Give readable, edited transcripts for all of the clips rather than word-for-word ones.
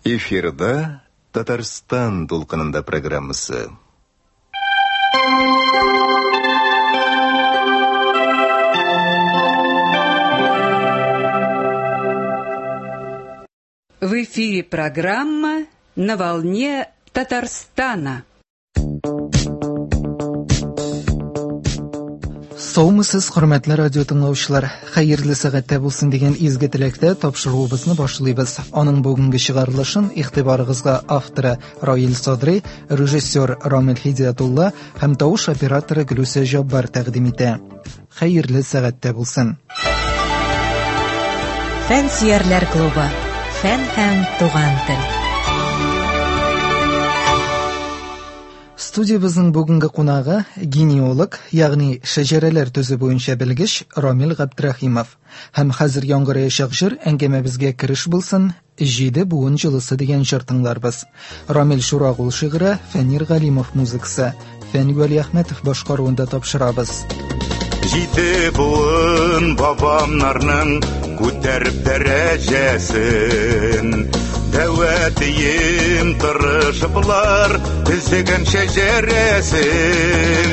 Эфирда Татарстан дулкынында программасы. В эфире программа «На волне Татарстана». Саумысыз, хөрмәтле радио тыңлаучылар. Хәерле сәгатьтә булсын дигән изге теләктә тапшыруыбызны башлыйбыз. Аның бүгенге чыгарылышын игътибарыгызга авторы Раил Садри, режиссер Рамил Хидиятулла һәм тавыш операторы Гөлүсә Җаббар тәкъдим итә. Хәерле сәгатьтә булсын. Фән сөярләр клубы. Фән һәм туган тел. Студиябезнең бүгенге кунагы генеалог, ягъни шәҗәрәләр төзү буенча белгеч Рамил Габдрахимов. Һәм хәзер яңгыраячак җыр әңгәмәбезгә кереш булсын, Җиде буын җылысы дигән җыр тыңларбыз. Рамил Чурагул шигыре, Фәнир Галимов музыкасы, Фән Вәлиәхмәтов башкаруында тапшырабыз. Җиде буын бабамнарның күтәреп дәрәҗәсен, Дәвәтием тырышыплар төзегән шәҗәрәсен.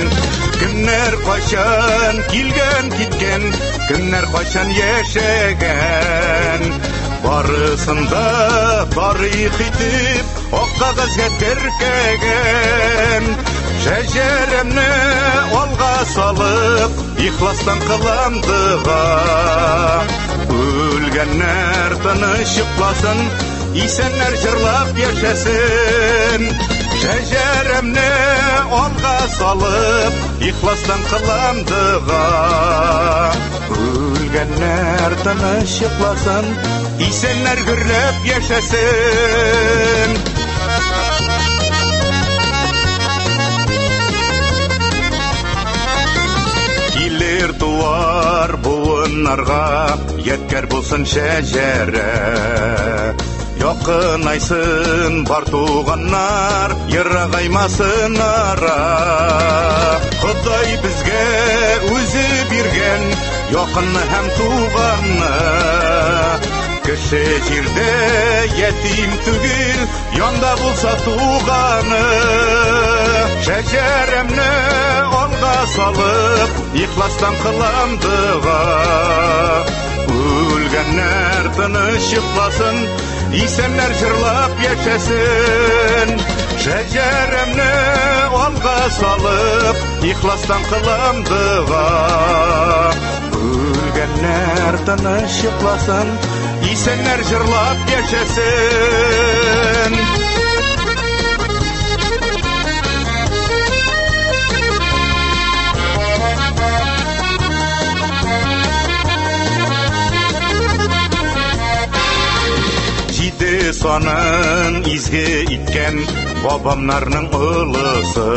Кемнәр кайчан килгән киткән, кемнәр кайчан яшәгән, барысын да тарих итеп ак кәгазьгә теркәгән. Шәҗәрәмне алга салып, ихластан кылам дога. Үлгәннәр тыныч йокласын, исәннәр җырлап яшәсен. Шәҗәрәмне алга салып, ихластан кылам дога. Үлгәннәр тыныч йокласын, исәннәр гөрләп яшәсен. Килер туар буыннарга ядкәр булсын шәҗәрә. Якынайсын бар туганнар, ерагаймасын ара. Ходай безгә үзе биргән якынны һәм туганны. Кеше җирдә ятим түгел, янда булса туганы. Шәҗәрәмне алга салып, ихластан кылам дога. Үлгәннәр тыныч йокласын, исәннәр җырлап яшәсен. Шәҗәрәмне алга салып, ихластан кылам дога. Үлгәннәр тыныч йокласын, исәннәр җырлап яшәсен. Җиде санын изге иткән бабамнарның олысы.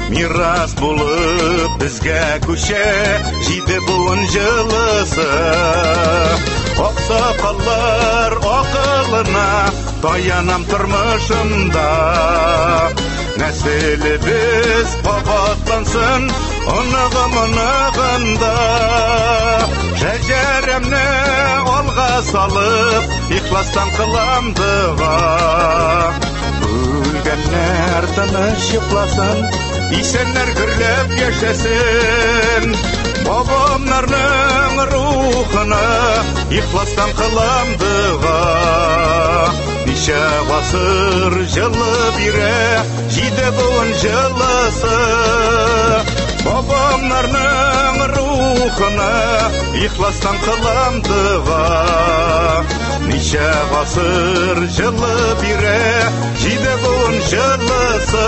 Мирас булып безгә күчә җиде буын җылысы. Аксакаллар акылына таянам тормышымда. Нәселебез кабатлансын оныгым оныгында. Шәҗәрәмне алга салып, ихластан кылам дога. Үлгәннәр тыныч йокласын, исәннәр гөрләп яшәсен. Бабамнарның рухына ихластан кылам дога. Ничә гасыр җылы бирә җиде буын җылысы. Бабамнарның рухына ихластан кылам дога. Ничә гасыр җылы бирә җиде буын җылысы.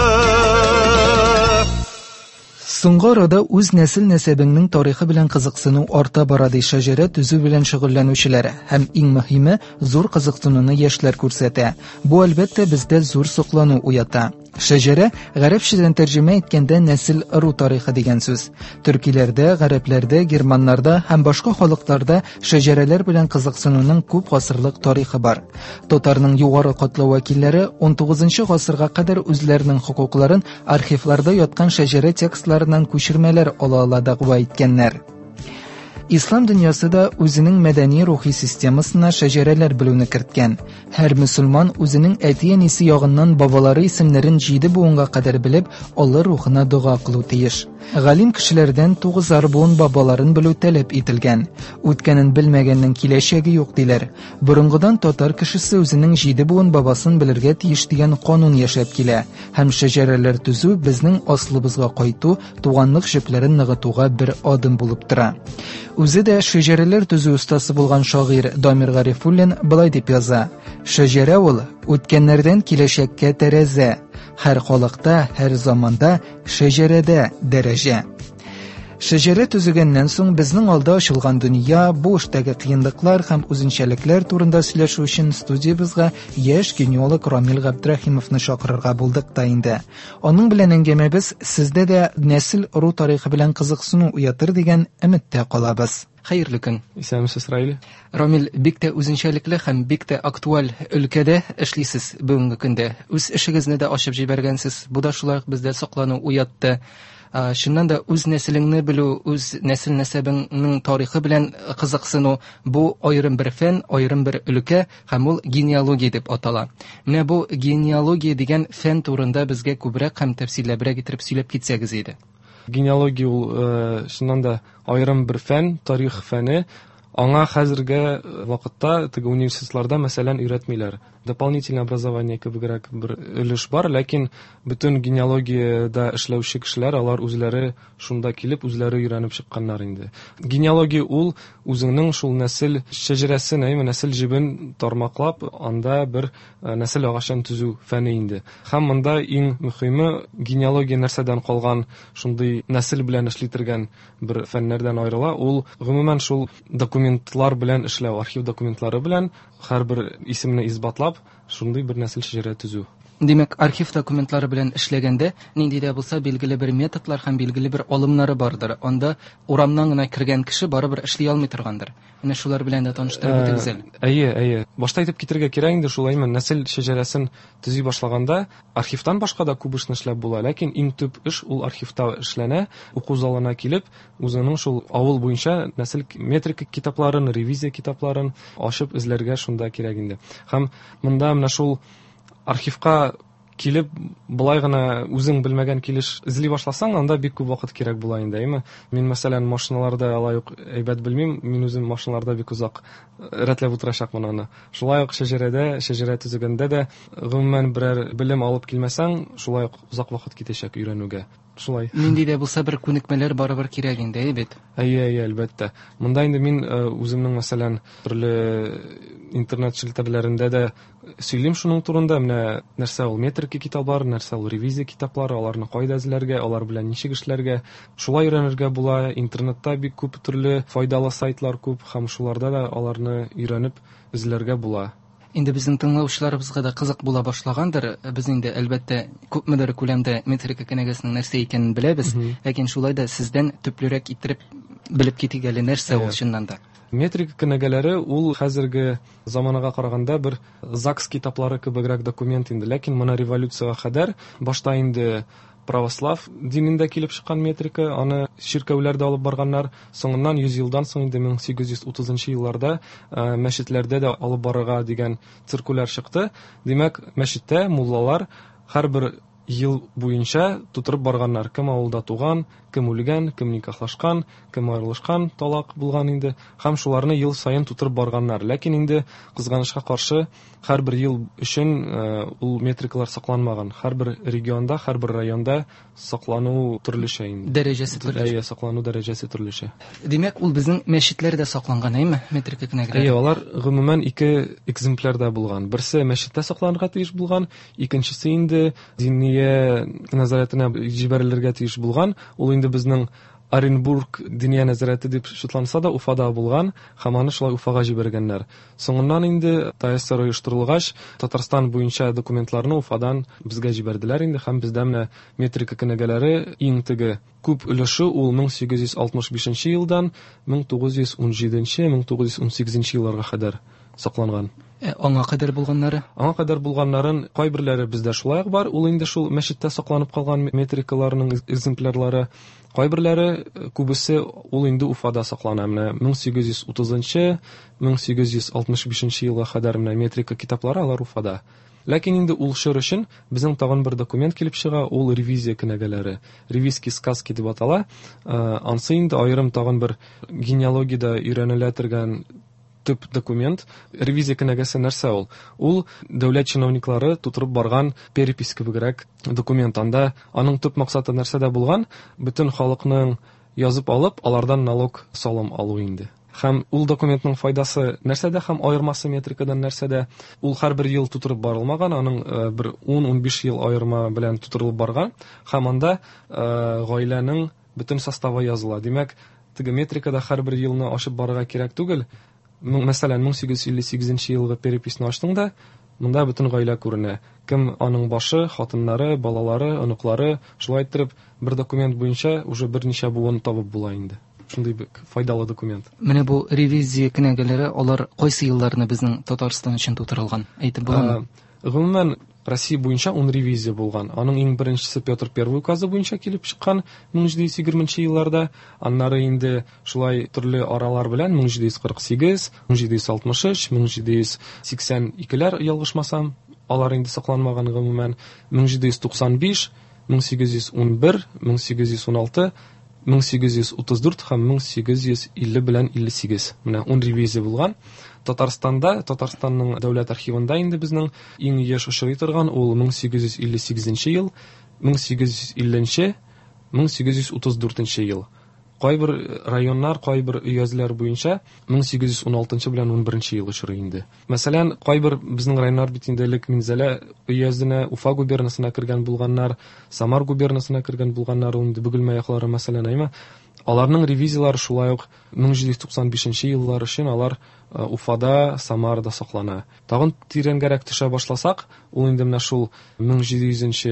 Соңгы арада үз нәсел нәсәбеңнең тарихы белән кызыксыну арта бара, ди шәҗәрә төзү белән шөгыльләнүчеләр. Һәм иң мөһиме, зур кызыксынуны яшьләр күрсәтә. Бу, әлбәттә, бездә зур соклану уята. Шәҗәрә гарәпчәдән тәрҗемә иткәндә нәсел ыру тарихы дигән сүз. Төркиләрдә, гарәпләрдә, германнарда һәм башка халыкларда шәҗәрәләр белән кызыксынуның күп гасырлык тарихы бар. Татарның югары катлау вәкилләре 19 гасырга кадәр үзләренең хокукларын архивларда яткан шәҗәрә текстларыннан күчермәләр ала-ала дәгъва иткәннәр. Ислам дөньясы да үзенең мәдәни рухи системасына шәҗәрәләр белүне керткән. Һәр мөселман үзенең әти-әнисе ягыннан бабалары исемнәрен 7 буынга кадәр белеп, алар рухына дога кылу тиеш. Галим кешеләрдән 9 буын бабаларын белү таләп ителгән. Үткәнен белмәгәннең киләчәге юк диләр. Борынгыдан татар кешесе үзенең 7 буын бабасын белергә тиеш дигән канун яшәп килә. Һәм шәҗәрәләр төзү безнең асылыбызга кайту, туганлык җепләрен ныгытуга бер адым булып тора. Үзе дә шәҗәрәләр төзү остасы булган шагыйрь Дамир Гарифуллин былай дип яза: Шәҗәрә ул үткәннәрдән киләчәккә тәрәзә. Һәр халыкта, һәр заманда шәҗәрәдә дәрәҗә. Шәҗәрә төзегәннән соң безнең алда ачылган дөнья, бу эштәге кыенлыклар һәм үзенчәлекләр турында сөйләшү өчен студиябезгә яшь генеалог Рамил Габдрәхимовны чакырырга булдык та инде. Аның белән әңгәмәбез сездә дә нәсел ыру тарихы белән кызыксыну уятыр дигән өметтә калабыз. Хәерле көн. Исәнмесез, Раил. Рамил, бик тә үзенчәлекле һәм бик тә актуаль өлкәдә эшлисез бүгенге көндә. Үз эшегезне дә ачып җибәргәнсез. Бу да шулай ук бездә соклану уятты. Чыннан да үз нәселеңне белү, үз нәсел нәсәбеңнең тарихы белән кызыксыну бу аерым бер фән, аерым бер өлкә һәм ул генеалогия дип атала. Менә бу генеалогия дигән фән турында безгә күбрәк һәм тәфсилләбрәк итеп сөйләп китсәгез иде. Генеалогия ул чыннан да аерым бер фән, тарих фәне. Аңа хәзерге вакытта теге университетларда, мәсәлән, өйрәтмиләр. Дополнительное образование кебегрәк бер өлеш бар, ләкин бөтен генеалогиядә эшләүче кешеләр, алар үзләре шунда килеп, үзләре өйрәнеп чыкканнар инде. Генеалогия ул үзеңнең шул нәсел шәҗәрәсен, әйме, нәсел җебен тармаклап, анда бер нәсел агачын төзү фәне инде. Һәм монда иң мөһиме генеалогия нәрсәдән калган шундый нәсел белән эшли торган бер фәннәрдән аерыла, ул гомумән шул документлар белән эшләү, архив документлары белән һәрбер исемне исбатлап, шундый бер нәсел шәҗәрә төзү. Димәк, архив документлары белән эшләгәндә нинди дә булса билгеле бер методлар һәм билгеле бер алымнары бардыр. Анда урамнан гына кергән кеше барыбер эшли алмый торгандыр. Менә шулар белән дә таныштырып үтегез әле. Әйе, әйе. Башта әйтеп китергә кирәк инде, шулаймы, нәсел шәҗәрәсен төзи башлаганда архивтан башка да күп эшне эшләп була, ләкин иң төп эш ул архивта эшләнә. Уку залына килеп, үзеңнең шул авыл буенча нәсел метрика китапларын, ревизия китапларын ачып эзләргә шунда кирәк инде. Һәм монда менә шул архивка килеп, былай гына үзең белмәгән килеш эзли башласаң, анда бик күп вакыт кирәк була инде, әйме? Мин, мәсәлән, машиналарда алай ук әйбәт белмим, мин үзем машиналарда бик озак рәтләп утырачакмын аны. Шулай ук шәҗәрәдә, шәҗәрә төзегәндә дә, гомумән берәр белем алып килмәсәң, шулай ук озак вакыт китәчәк өйрәнүгә. Шулай. Нинди дә булса бер күнекмәләр барыбер кирәк инде, әйе бит? Әйе, әйе, әлбәттә. Монда инде мин үземнең, мәсәлән, төрле интернет челтәрләрендә дә сөйлим шуның турында. Менә нәрсә ул метрика китаплары, нәрсә ул ревизия китаплары, аларны кайда эзләргә, алар белән ничек эшләргә. Шулай өйрәнергә була. Интернетта бик күп төрле файдалы сайтлар күп һәм шуларда да аларны өйрәнеп эзләргә була. Инде безнең тыңлаучыларыбызга да кызык була башлагандыр. Без инде, әлбәттә, күпмедер күләмдә метрика кенәгәсенең нәрсә икәнен беләбез, ләкин шулай да сездән төплерәк иттереп белеп китик әле, нәрсә ул чыннан да. Метрика кенәгәләре ул хәзерге заманага караганда бер ЗАГС китаплары кебегрәк документ инде, ләкин моны революцияга кадәр башта инде православ динендә килеп чыккан метрика, аны чиркәүләрдә алып барганнар. Соңыннан 100 елдан соң инде 1830 елларда мәчетләрдә дә алып барырга дигән циркуляр чыкты. Димәк, мәчеттә муллалар һәрбер ел буенча тутырып барганнар. Кем авылда туган, кем үлгән, кем никахлашкан, кем аерылышкан, талак булган инде. Һәм шуларны ел саен тутырып барганнар. Ләкин инде кызганычка каршы һәрбер ел өчен ул метрикалар сакланмаган. Һәрбер регионда, һәрбер районда саклану төрлечә инде. Дәрәҗәсе төрлечә. Әйе, саклану дәрәҗәсе төрлечә. Димәк, ул безнең мәчетләрдә сакланган, әйеме, метрика кенәгәләре? Әйе, алар гомумән ике экземплярда булган. Берсе мәчеттә сакланырга тиеш булган, икенчесе инде диния нәзарәтенә җибәрелергә тиеш булган. Ул инде безнең Оренбург Диния нәзарәте дип шутланса да, Уфада булган һәм аны шулай Уфага җибәргәннәр. Соңыннан инде ТАССР оештырылгач, Татарстан буенча документларны Уфадан безгә җибәрделәр инде һәм бездә менә метрика кенәгәләре иң теге күп өлеше ул 1865 елдан 1917-1918 елларга кадәр сакланган. Аңа кадәр булганнары? Аңа кадәр булганнарын кайберләре бездә шулай ук бар. Ул инде шул мәчеттә сакланып калган метрикаларның экземплярлары. Кайберләре, күбесе ул инде Уфада саклана. Менә 1830-нчы, 1865 елга кадәр менә метрика китаплары алар Уфада. Ләкин инде ул чор өчен безнең тагын бер документ килеп чыга, ул ревизия кенәгәләре, ревизский сказки дип атала. Ансы инде аерым тагын бер генеалогиядә өйрәнелә торган төп документ. Ревизия кенәгәсе нәрсә ул? Ул дәүләт чиновниклары тутырып барган перепись кебегрәк документ. Анда аның төп максаты нәрсәдә булган? Бөтен халыкның язып алып, алардан налог салым алу инде. Һәм ул документның файдасы нәрсәдә һәм аермасы метрикадан нәрсәдә? Ул һәрбер ел тутырып барылмаган, аның бер 10-15 ел аерма белән тутырылып барган. Һәм анда гаиләнең бөтен составы языла. Димәк, теге метрикада һәрбер елны ачып барырга кирәк түгел. Мәсәлән, 1858 елгы переписьне ачтың да, монда бөтен гаилә күренә. Кем аның башы, хатыннары, балалары, оныклары, шулай иттереп бер документ буенча уже берничә буын табып була инде. Шундый бик файдалы документ. Менә бу ревизия кенәгәләре, алар кайсы елларны безнең Татарстан өчен тутырылган? Әйтеп буламы? Гомумән, Россия буенча 10 ревизия булган. Аның иң беренчесе Петр I указы буенча килеп чыккан 1720 елларда. Аннары инде шулай төрле аралар белән 1748, 1763, 1782-ләр ялгышмасам, алар инде сакланмаган гомумән. 1795, 1811, 1816, 1834 һәм 1850 белән 58. Менә 10 ревизия булган. Татарстанда, Татарстанның дәүләт архивында инде безнең иң еш очрый торган ул 1858 ел, 1850, 1834 ел. Кайбер районнар, кайбер өязләр буенча 1816 белән 11 ел очрый инде. Мәсәлән, кайбер безнең районнар бит инде элек Минзәлә өязенә, Уфа губернасына кергән булганнар, Самар губернасына кергән булганнар, ул инде Бөгелмә яклары мәсәлән, әйме? Аларның ревизиялары шулай ук 1795 еллар өчен алар Уфада, Самарада саклана. Тагын тирәнгәрәк төшә башласак, ул инде менә шул 1700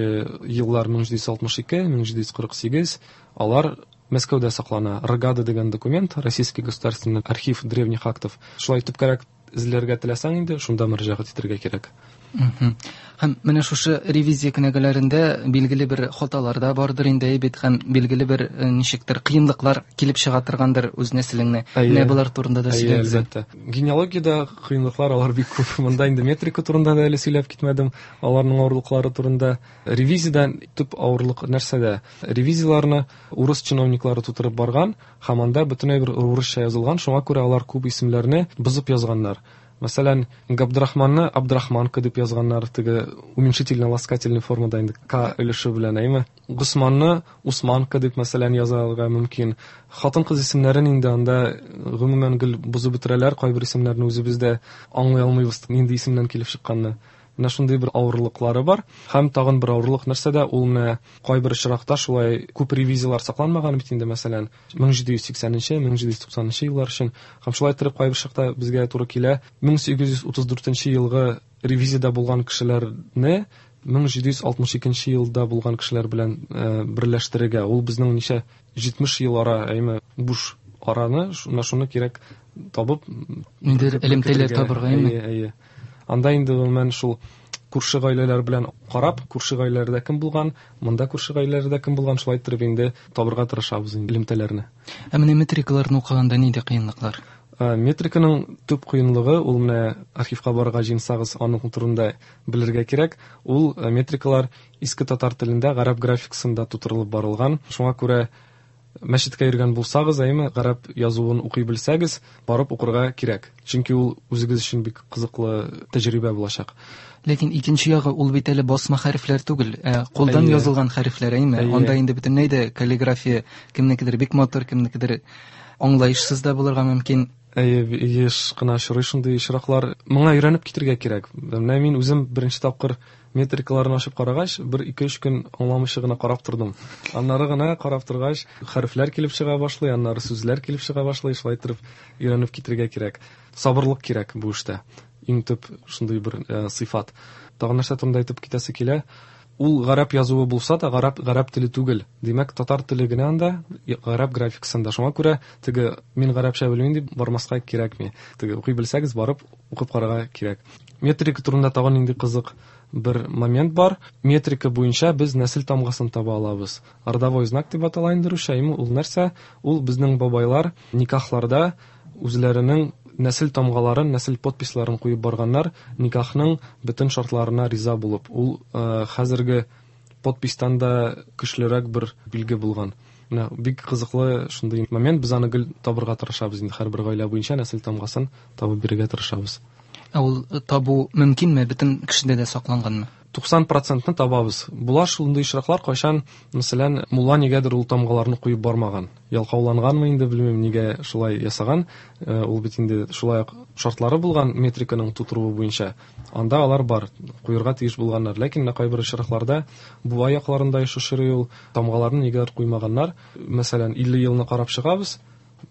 еллар, 1762, 1748, алар Мәскәүдә саклана. Рогада дигән документ, Российский государственный архив древних актов. Шулай төпкәрәк эзләргә теләсәң инде, шунда мөрәҗәгать итәргә кирәк. Һәм менә шушы ревизия кенәгәләрендә билгеле бер хаталар да бардыр инде, бит, һәм билгеле бер ничектер кыенлыклар килеп чыга торгандыр үз нәселеңне. Менә болар турында да сөйләгез. Әлбәттә. Генеалогиядә кыенлыклар алар бик күп. Монда инде метрика турында да әле сөйләп китмәдем, аларның авырлыклары турында. Ревизиядән төп авырлык нәрсәдә? Ревизияләрне урыс чиновниклары тутырып барган һәм анда бөтенләй бер урысча язылган, шуңа күрә алар күп исемнәрне бозып язганнар. Мәсәлән, Габдрахманны Абдрахманка дип язганнар, теге уменьшительно-ласкательный формада инде К өлеше белән, әйме? Госманны Усманка дип, мәсәлән, язарга мөмкин. Хатын-кыз исемнәрен инде анда гомумән гел бозып бетерәләр, кайбер исемнәрне үзебез дә аңлый алмыйбыз, нинди исемнән килеп чыкканны. Менә шундый бер авырлыклары бар. Һәм тагын бер авырлык нәрсәдә, ул менә кайбер очракта шулай күп ревизиялар сакланмаган бит инде, мәсәлән, 1780-нче, 1790 еллар өчен. Һәм шулай торып кайбер чакта безгә туры килә 1834 елгы ревизиядә булган кешеләрне 1762 елда булган кешеләр белән берләштерергә. Ул безнең ничә 70 ел ара, әйме, буш араны, менә шуны кирәк табып, Ниндидер элемтәләр табырга, әйме? Әйе, әйе. Анда инде гомумән шул күрше гаиләләр белән карап, күрше гаиләләрдә кем булган, монда күрше гаиләләрдә кем булган, шулай иттереп инде табырга тырышабыз инде элемтәләрне. Ә менә метрикаларны укыганда нинди кыенлыклар? Метриканың төп кыенлыгы ул менә архивка барырга җыенсагыз, аның турында белергә кирәк. Ул метрикалар иске татар телендә гарәп графикасында тутырылып барылган. Шуңа күрә мәчеткә йөргән булсагыз, әйме, гарәп язуын укый белсәгез, барып укырга кирәк. Чөнки ул үзегез өчен бик кызыклы тәҗрибә булачак. Ләкин икенче ягы ул бит әле басма хәрефләр түгел, ә кулдан язылган хәрефләр, әйме? Анда инде бөтенләй дә каллиграфия кемнекедер бик матур, кемнекедер аңлаешсыз да булырга мөмкин. Әйе, еш кына очрый шундый очраклар. Моңа өйрәнеп китергә кирәк. Менә мин үзем беренче тапкыр Метрикаларын ачып карагач, бер ике-өч көн аңламыйча гына карап тордым. Аннары гына карап торгач, хәрефләр килеп чыга башлый, аннары сүзләр килеп чыга башлый, шулай итеп өйрәнеп китергә кирәк. Сабырлык кирәк бу эштә. Иң төп шундый бер сыйфат. Тагын нәрсә турында әйтеп китәсе килә? Ул гарәп язуы булса да, гарәп теле түгел. Димәк, татар теле генә анда, гарәп графикасында. Шуңа күрә теге мин гарәпчә белмим дип бармаска кирәкми. Теге укый белсәгез, барып укып карарга кирәк. Метрика турында тагын нинди кызык бер момент бар. Метрика буенча без нәсел тамгасын таба алабыз. Родовой знак дип атала инде русча. Ул нәрсә? Ул безнең бабайлар никахларда үзләренең нәсел тамгаларын, нәсел подписьларын куеп барганнар, никахның бөтен шартларына риза булып. Ул хәзерге подписьтан да көчлерәк бер билге булган. Менә бик кызыклы шундый момент, без аны гел табырга тырышабыз инде, һәрбер гаилә буенча нәсел тамгасын табып бирергә тырышабыз. Ә ул табу мөмкинме? Бөтен кешедә дә сакланганмы? 90%-ны табабыз. Була шундый очраклар, кайчан, мәсәлән, мулла нигәдер ул тамгаларны куеп бармаган. Ялкауланганмы инде, белмим, нигә шулай ясаган. Ул бит инде шулай ук шартлары булган метриканың тутыруы буенча. Анда алар бар, куерга тиеш булганнар. Ләкин менә кайбер очракларда Буа якларында еш очрый ул, тамгаларны нигәдер куймаганнар. Мәсәлән, 50 елны карап чыгабыз,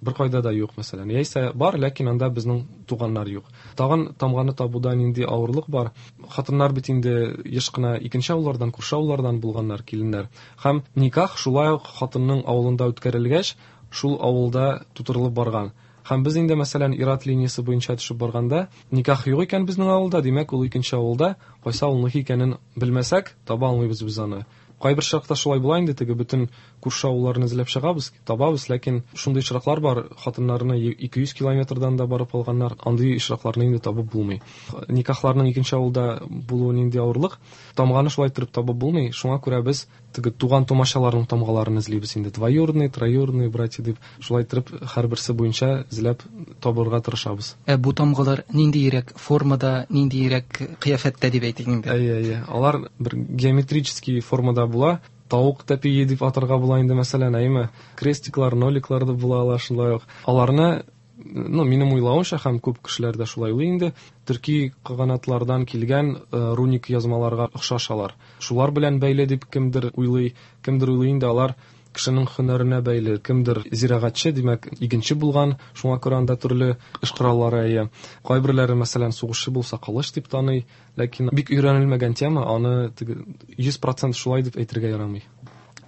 бер кайда да юк, мәсәлән. Яисә бар, ләкин анда безнең туганнар юк. Тагын тамганы табуда нинди авырлык бар? Хатыннар бит инде еш кына икенче авыллардан, күрше авыллардан булганнар, киленнәр. Һәм никах шулай ук хатынның авылында үткәрелгәч, шул авылда тутырылып барган. Һәм без инде, мәсәлән, ир-ат линиясе буенча төшеп барганда, никах юк икән безнең авылда, димәк, ул икенче авылда, кайсы авылныкы икәнен белмәсәк, таба алмыйбыз без аны. Кайбер чакта шулай була инде, теге бөтен күрше авылларны эзләп чыгабыз, табабыз, ләкин шундый очраклар бар, хатыннарны 200 километрдан да барып алганнар, андый очракларны инде табып булмый. Никахларның икенче авылда булуы нинди авырлык, тамганы шулай итеп табып булмый, шуңа күрә без теге туган тумачаларның тамгаларын эзлибез инде, двоюродные, троюродные братья дип, шулай итеп һәрберсе буенча эзләп табырга тырышабыз. Ә бу тамгалар ниндиерәк формада, ниндиерәк кыяфәттә дип әйтик инде? Әйе, әйе. Алар бер геометрический формада була. Тавык тәпие дип атарга була инде, мәсәлән, әйеме? Крестиклар, ноликлар да була ала шулай ук. Аларны, минем уйлавымча, һәм күп кешеләр дә шулай уйлый инде, төрки каганатлардан килгән руник язмаларга охшаш алар. Шулар белән бәйле дип кемдер уйлый, кемдер уйлый инде алар кешенең һөнәренә бәйле, кемдер зирәгатьче, димәк, игенче булган, шуңа күрә анда төрле эш кораллары әйе. Кайберләре, мәсәлән, сугышчы булса, кылыч дип таный, ләкин бик өйрәнелмәгән тема, аны теге 100% шулай дип әйтергә ярамый.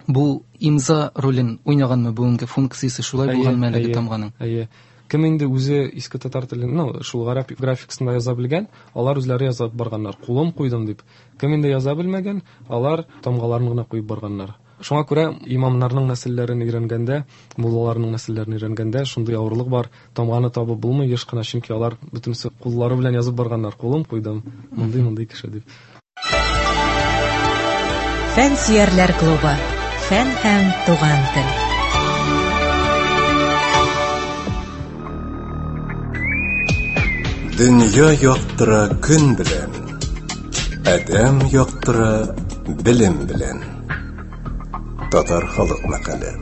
Бу имза ролен уйнаганмы бүгенге функциясе шулай Әйе, булганмы әлеге әйе, тамганың? Әйе. Кем инде үзе иске татар телен, шул гарәп графикасында яза белгән, алар үзләре язып барганнар, кулым куйдым дип. Кем инде яза белмәгән, алар тамгаларын гына куеп барганнар. Шуңа күрә имамнарның нәселләрен өйрәнгәндә, муллаларның нәселләрен өйрәнгәндә шундый авырлык бар, тамганы табып булмый еш кына, чөнки алар бөтенесе куллары белән язып барганнар, кулым куйдым, мондый-мондый кеше дип. Фән сөярләр клубы. Фән һәм туган тел. Дөнья яктыра көн белән, адәм яктыра белем белән. Татар халык мәкале.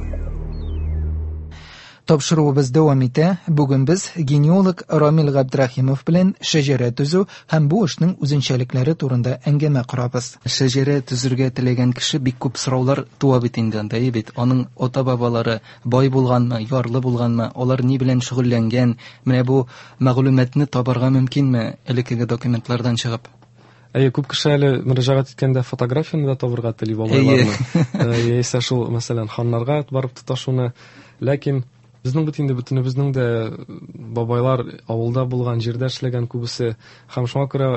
Тапшыруыбыз дәвам итә. Бүген без генеалог Рамил Габдрахимов белән шәҗәрә төзү һәм бу эшнең үзенчәлекләре турында әңгәмә корабыз. Шәҗәрә төзергә теләгән кеше бик күп сораулар туа бит инде анда, әйе бит. Аның ата-бабалары бай булганмы, ярлы булганмы, алар ни белән шөгыльләнгән? Менә бу мәгълүматны табарга мөмкинме элеккеге документлардан чыгып? Әйе, күп кеше әле мөрәҗәгать иткәндә фотографияне дә табырга тели бабайларны. Яисә шул, мәсәлән, ханнарга барып тоташуны. Ләкин безнең бит инде бөтенебезнең дә бабайлар авылда булган, җирдә эшләгән күбесе. Һәм шуңа күрә,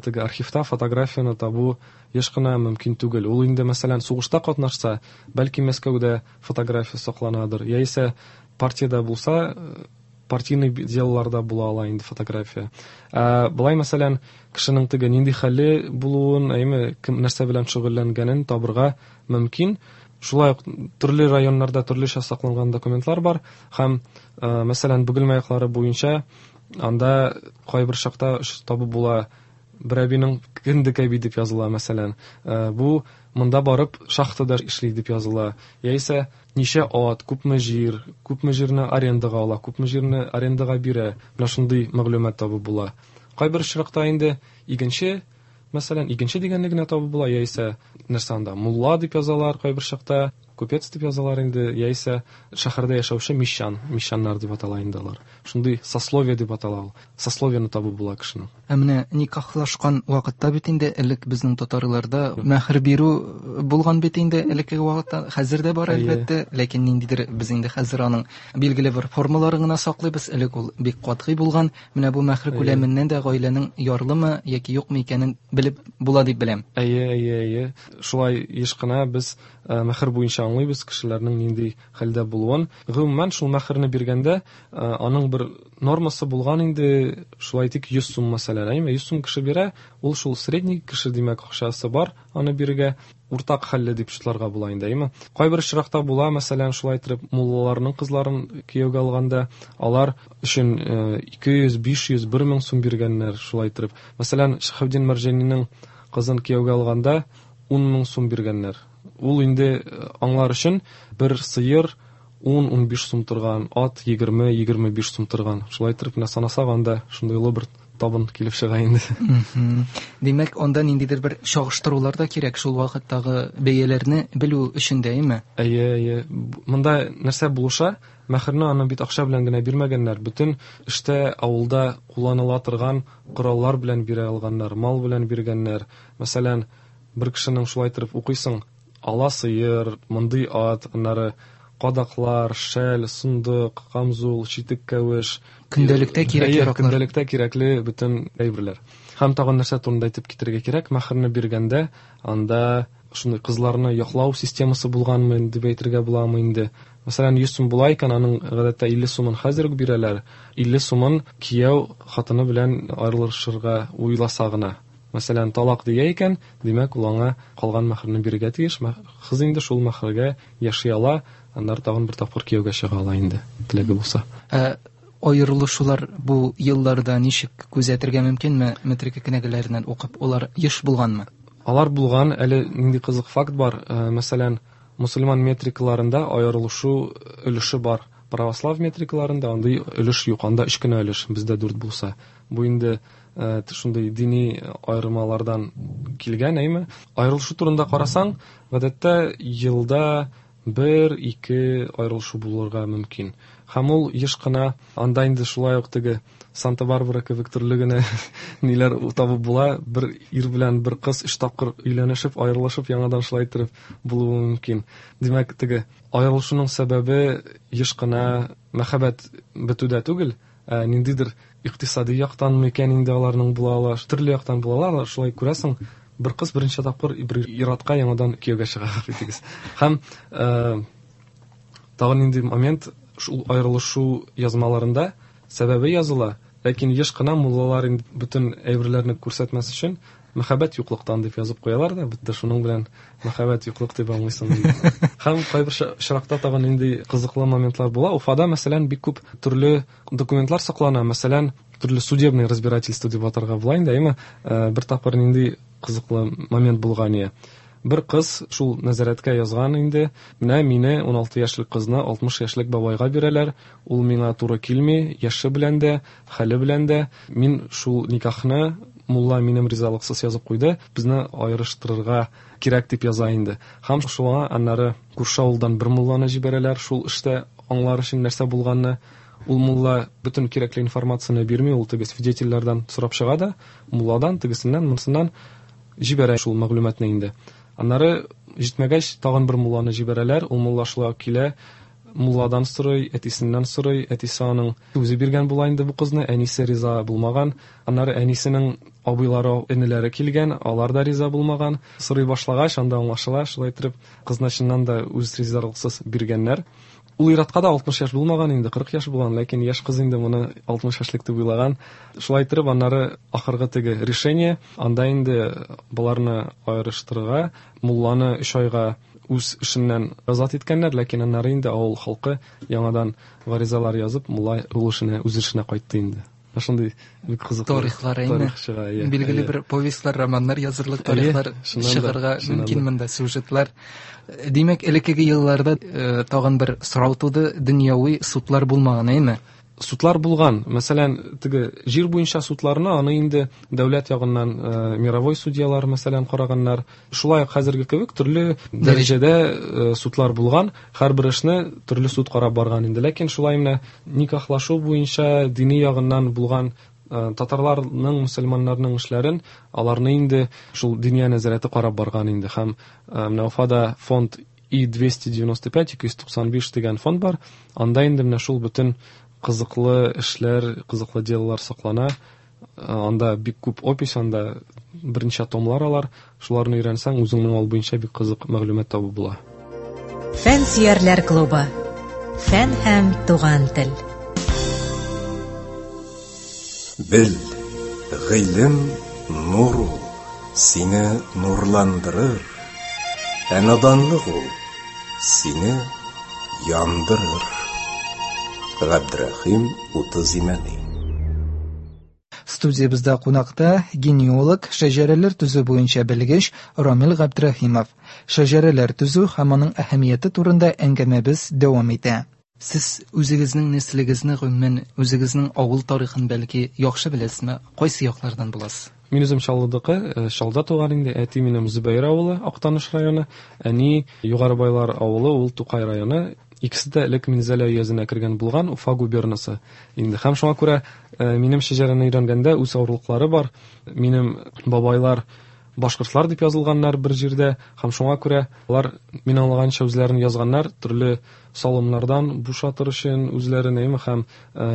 теге архивта фотографияне табу еш кына мөмкин түгел. Ул инде, мәсәлән, сугышта катнашса, бәлки Мәскәүдә фотография сакланадыр. Яисә партиядә булса, партийный делаларда була ала инде фотография. Былай, мәсәлән, кешенең теге нинди хәле булуын, әйме, кем нәрсә белән шөгыльләнгәнен табырга мөмкин. Шулай ук төрле районнарда төрлечә сакланган документлар бар һәм, мәсәлән, Бөгелмә яклары буенча анда кайбер чакта табып була. Бер әбинең кендек әби дип языла, мәсәлән. Бу монда барып шахтада эшли дип языла. Яисә ничә ат, күпме җир, күпме җирне арендага ала, күпме җирне арендага бирә. Менә шундый мәгълүмат табып була. Кайбер очракта инде игенче Мәсәлән, игенче дигәнне генә табып була, яисә нәрсә анда, мулла дип язалар кайбер чакта, купец дип язалар инде, яисә шәһәрдә яшәүче мещан, мещаннар дип атала инде алар. Шундый сословие дип атала ул. Сословиене табып була кешенең. Ә менә никахлашкан вакытта бит инде элек безнең татарларда мәһр бирү булган бит инде элеккеге вакытта, хәзер дә бар әлбәттә, ләкин ниндидер без инде хәзер аның билгеле бер формаларын гына саклыйбыз. Элек ул бик катгый булган. Менә бу мәһр күләменнән дә гаиләнең ярлымы яки юкмы икәнен белеп була дип беләм. Әйе, әйе, әйе. Шулай еш кына без мәһр буенча аңлыйбыз кешеләрнең нинди хәлдә булуын. Гомумән, шул мәһерне биргәндә, аның бер нормасы булган инде, шулай әйтик, 100 сум мәсәлән, әйеме? 100 сум кеше бирә, ул шул средний кеше, димәк, акчасы бар аны бирергә, уртак хәлле дип шутларга була инде, әйеме? Кайбер очракта була, мәсәлән, шулай итеп муллаларның кызларын кияүгә алганда, алар өчен 200, 500, 1000 сум биргәннәр, шулай итеп. Мәсәлән, Шиһабетдин Мәрҗанинең кызын кияүгә алганда 10 000 сум биргәннәр. Ул инде аңлар өчен бер сыер 10-15 сум торган, ат 20-25 сум торган. Шулай итеп, менә санасак, анда шундый олы бер табын килеп чыга инде. Димәк, анда ниндидер бер чагыштырулар да кирәк шул вакыттагы бәяләрне белү өчен дә, әйеме? Әйе, әйе. Монда нәрсә булыша? Мәһерне аны бит акча белән генә бирмәгәннәр. Бөтен эштә авылда кулланыла торган кораллар белән бирә алганнар, мал белән биргәннәр. Мәсәлән, бер кешенең шулай итеп укыйсың, ала сыер, мондый ат, аннары кадаклар, шәл, сындык, камзул, читек кәвеш. Көндәлектә кирәк яраклар. Көндәлектә кирәкле бөтен әйберләр. Һәм тагын нәрсә турында әйтеп китәргә кирәк, мәһерне биргәндә анда шундый кызларны яклау системасы булганмы дип әйтергә буламы инде. Мәсәлән, 100 сум була икән, аның гадәттә 50 сумын хәзер үк бирәләр. 50 сумын кияү хатыны белән аерылышырга уйласа гына. Мәсәлән, талак дия икән, димәк, ул аңа калган мәһерне бирергә тиеш. Кыз инде шул мәһергә яши ала, аннары тагын бер тапкыр кияүгә чыга ала инде, теләге булса. Ә аерылышулар бу елларда ничек күзәтергә мөмкинме? Метрика кенәгәләреннән укып, алар еш булганмы? Алар булган, әле нинди кызык факт бар. Мәсәлән, мусульман метрикаларында аерылышу өлеше бар. Православ метрикаларында андый өлеш юк, анда 3 кенә өлеш, бездә 4 булса. Бу инде шундый дини аермалардан килгән, әйме? Аерылышу турында карасаң, гадәттә елда 1-2 аерылышу булырга мөмкин. Һәм ул еш кына анда инде шулай ук теге Санта-Барбара кебек төрле генә ниләр табып була. Бер ир белән бер кыз 3 тапкыр өйләнешеп, аерылышып, яңадан шулай итеп булуы мөмкин. Димәк, теге аерылышуның сәбәбе еш кына мәхәббәт бетүдә түгел, ә ниндидер икътисади яктан микән инде аларның була ала, төрле яктан була ала, шулай күрәсең, бер кыз берничә тапкыр бер ир-атка яңадан кияүгә чыга битегез. Һәм тагын нинди момент, шул аерылышу язмаларында сәбәбе языла, ләкин еш кына муллалар инде бөтен әйберләрне күрсәтмәс өчен мәхәббәт юклыктан дип язып куялар да, бетте, шуның белән мәхәббәт юклык дип аңлыйсың инде. Һәм кайбер очракта тагын нинди кызыклы моментлар була. Уфада, мәсәлән, бик күп төрле документлар саклана, мәсәлән, төрле судебный разбирательство дип атарга була инде, әйме? Бер тапкыр нинди кызыклы момент булган иде. Бер кыз шул нәзарәткә язган инде, менә мине 16 яшьлек кызны 60 яшьлек бабайга бирәләр, ул миңа туры килми, яше белән дә, хәле белән дә, мин шул никахны мулла минем ризалыксыз язып куйды, безне аерыштырырга кирәк дип яза инде. Һәм шуңа аннары күрше авылдан бер мулланы җибәрәләр, шул эштә аңлар өчен нәрсә булганны. Ул мулла бөтен кирәкле информацияне бирми, ул теге свидетельләрдән сорап чыга да, мулладан, тегесеннән, монсыннан җибәрә шул мәгълүматны инде. Аннары җитмәгәч, тагын бер мулланы җибәрәләр, ул мулла шулай ук килә, мулладан сорый, әтисеннән сорый, әтисе аның үзе биргән була инде бу кызны, әнисе риза булмаган. Аннары әнисенең абыйлары, энеләре килгән, алар да риза булмаган. Сорый башлагач, анда аңлашыла, шулай итеп кызны чыннан да үз ризалыксыз биргәннәр. Ул ир-атка да 60 яшь булмаган инде, 40 яшь булган, ләкин яшь кыз инде моны 60 яшьлек дип уйлаган. Шулай итеп, аннары ахыргы теге решение, анда инде боларны аерыштырырга, мулланы 3 айга үз эшеннән азат иткәннәр, ләкин аннары инде авыл халкы яңадан гаризалар язып, мулла ул эшенә, үз эшенә кайтты инде. Шундый бик кызыклы тарихлар инде. Тарих чыга, иә. Билгеле бер повестьлар, романнар язырлык тарихлар чыгарга мөмкин монда, сюжетлар. Димәк, элеккеге елларда тагын бер сорау туды, дөньяви судлар булмаган, әйме? Судлар булган. Мәсәлән, теге җир буенча судларны аны инде дәүләт ягыннан мировой судьялар, мәсәлән, караганнар. Шулай ук хәзерге кебек төрле дәрәҗәдә судлар булган. Һәрбер эшне төрле суд карап барган инде. Ләкин шулай менә никахлашу буенча дини ягыннан булган татарларның, мөселманнарның эшләрен аларны инде шул диния нәзарәте карап барган инде. Һәм менә Уфада фонд И-295, 295 дигән фонд бар. Анда инде менә шул бөтен кызыклы эшләр, кызыклы делалар саклана. Анда бик күп опись, анда берничә томлар алар. Шуларны өйрәнсәң, үзеңнең авыл буенча бик кызык мәгълүмат табып була. Фән сөярләр клубы. Фән һәм туган тел. Бел, гыйлем нур ул, сине нурландырыр. Ә наданлык ул сине яндырыр. Габдрахим Утыз Имәни. Студиябездә кунакта генеалог, шәҗәрәләр төзү буенча белгеч Рамил Габдрахимов. Шәҗәрәләр төзү һәм аның әһәмияте турында әңгәмәбез дәвам итә. Сез үзегезнең нәселегезне, гомумән, үзегезнең авыл тарихын бәлки яхшы беләсезме? Кайсы яклардан буласыз? Мин үзем Чаллыдыкы, Чаллыда туган инде. Әти минем Зөбәер авылы, Актаныш районы. Әни Югары Байлар авылы, ул Тукай районы. Икесе дә элек Минзәлә өязенә кергән булган, Уфа губернасы инде. Һәм шуңа күрә минем шәҗәрәне өйрәнгәндә үз авырлыклары бар. Минем бабайлар башкортлар дип язылганнар бер җирдә, һәм шуңа күрә алар, мин аңлаганча, үзләрен язганнар төрле салымнардан бушатыр өчен үзләрен, әйме, һәм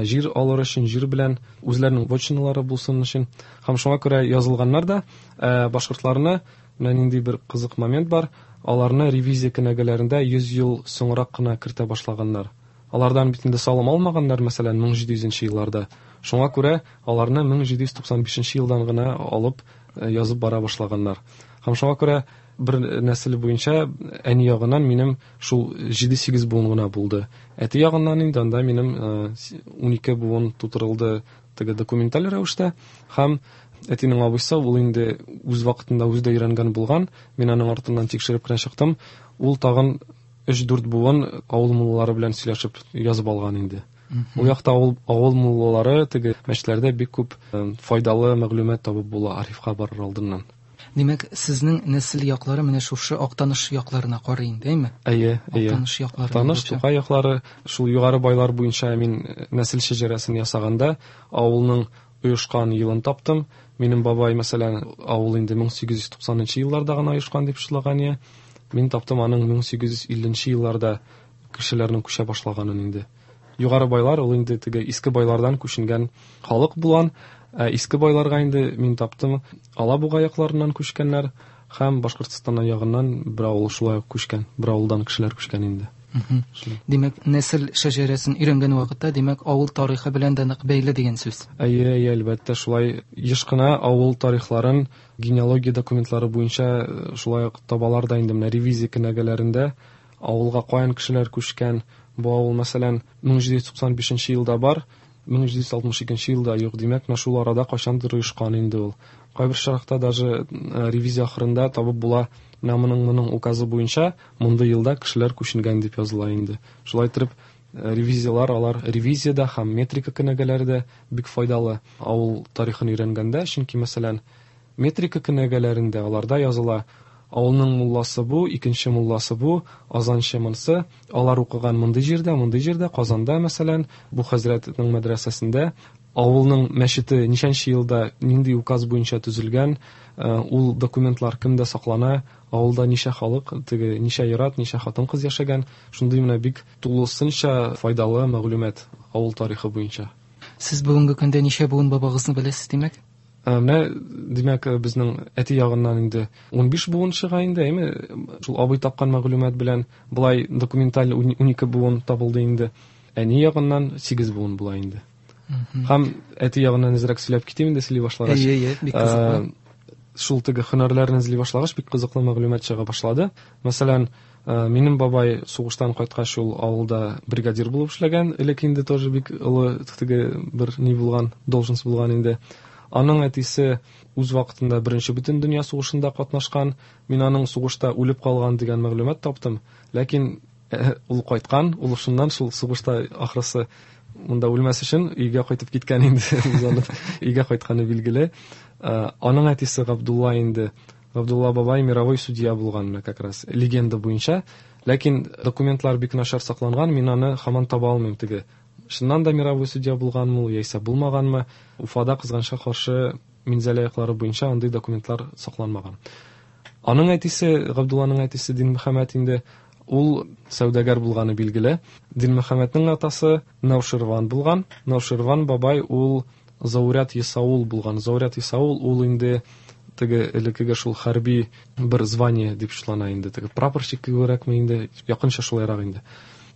җир алыр өчен, җир белән үзләренең вотчиналары булсын өчен. Һәм шуңа күрә язылганнар да, башкортларны, менә нинди бер кызык момент бар, аларны ревизия кенәгәләрендә 100 ел соңрак кына кертә башлаганнар. Алардан бит инде салым алмаганнар, мәсәлән, 1700 елларда. Шуңа күрә аларны 1795 елдан гына алып язып бара башлаганнар. Һәм шуңа күрә бер нәсел буенча әни ягыннан минем шул 7-8 буын гына булды. Әти ягыннан инде анда минем 12 буын тутырылды теге документаль рәвештә. Һәм әтинең абыйсы, ул инде үз вакытында үзе дә өйрәнгән булган. Мин аның артыннан тикшереп кенә чыктым. Ул тагын 3-4 буын авыл муллалары белән сөйләшеп язып алган инде. Ул якта авыл муллалары теге мәчетләрдә бик күп файдалы мәгълүмат табып була архивка барыр алдыннан. Димәк, сезнең нәсел яклары менә шушы Актаныш якларына карый инде, әйме? Әйе, әйе. Актаныш яклары. Актаныш, Тукай яклары, шул Югары Байлар буенча мин нәсел шәҗәрәсен ясаганда авылның оешкан елын таптым. Минем бабай, мәсәлән, авыл инде 1890 елларда гына оешкан дип шутлаган. Мин таптым аның 1850 елларда кешеләрнең күчә башлаганын инде. Югары Байлар ул инде теге иске байлардан күченгән халык булган. Иске байларга инде мин таптым Алабуга якларыннан күчкәннәр һәм Башкортстан ягыннан бер авыл шулай ук күчкән, бер авылдан кешеләр күчкән инде. Димәк, нәсел шәҗәрәсен өйрәнгән вакытта, димәк, авыл тарихы белән дә нык бәйле дигән сүз. Әйе, әйе, әлбәттә, шулай еш кына авыл тарихларын генеалогия документлары буенча шулай ук табалар да инде. Менә ревизия кенәгәләрендә авылга каян кешеләр күчкән, бу авыл, мәсәлән, 1795 елда бар, 1762 елда юк, димәк, менә шул арада кайчандыр оешкан инде ул. Кайбер очракта даже ревизия ахырында табып була, менә моның указы буенча мондый елда кешеләр күченгән дип языла инде. Шулай итеп, ревизиялар, алар ревизиядә һәм метрика кенәгәләре дә бик файдалы авыл тарихын өйрәнгәндә, чөнки, мәсәлән, метрика кенәгәләрендә аларда языла авылның мулласы бу, икенче мулласы бу, азанчы монсы, алар укыган мондый җирдә, мондый җирдә, Казанда, мәсәлән, бу хәзрәтнең мәдрәсәсендә, авылның мәчете ничәнче елда нинди указ буенча төзелгән, ул документлар кемдә саклана, авылда ничә халык, теге ничә ир-ат, ничә хатын-кыз яшәгән, шундый менә бик тулысынча файдалы мәгълүмат авыл тарихы буенча. Сез бүгенге көндә ничә буын бабагызны беләсез, димәк? Менә, димәк, безнең әти ягыннан инде 15 буын чыга инде, әйме? Шул абый тапкан мәгълүмат белән былай документаль 12 буын табылды инде. Әни ягыннан 8 буын була инде. Һәм әти ягыннан әзрәк сөйләп китим инде, сөйли башлагач. Әйе, әйе, бик кызыклы. Шул теге һөнәрләрне эзли башлагач, бик кызыклы мәгълүмат чыга башлады. Мәсәлән, минем бабай сугыштан кайткач ул авылда бригадир булып эшләгән, элек инде тоже бик олы теге бер ни булган, должность булган инде. Аның әтисе үз вакытында Беренче бөтендөнья сугышында катнашкан. Мин аның сугышта үлеп калган дигән мәгълүмат таптым. Ләкин ул кайткан, ул шуннан шул сугышта ахрысы Монда үлмәс өчен өйгә кайтып киткән инде, узанып өйгә кайтканы билгеле. Аның әтисе Габдулла инде, Габдулла бабай мировой судья булган менә как раз легенда буенча. Ләкин документлар бик начар сакланган, мин аны һаман таба алмыйм теге. Чыннан да мировой судья булганмы ул, яисә булмаганмы? Уфада, кызганычка каршы, Минзәлә яклары буенча андый документлар сакланмаган. Аның әтисе, Габдулланың әтисе Динмөхәммәт инде, ул сәүдәгәр булганы билгеле. Динмөхәммәтнең атасы Науширван булган. Науширван бабай ул зауряд есаул булган. Зауряд есаул ул инде теге элеккеге шул хәрби бер звание дип шутлана инде. Теге прапорщик кебегрәкме инде, якынча шулайрак инде.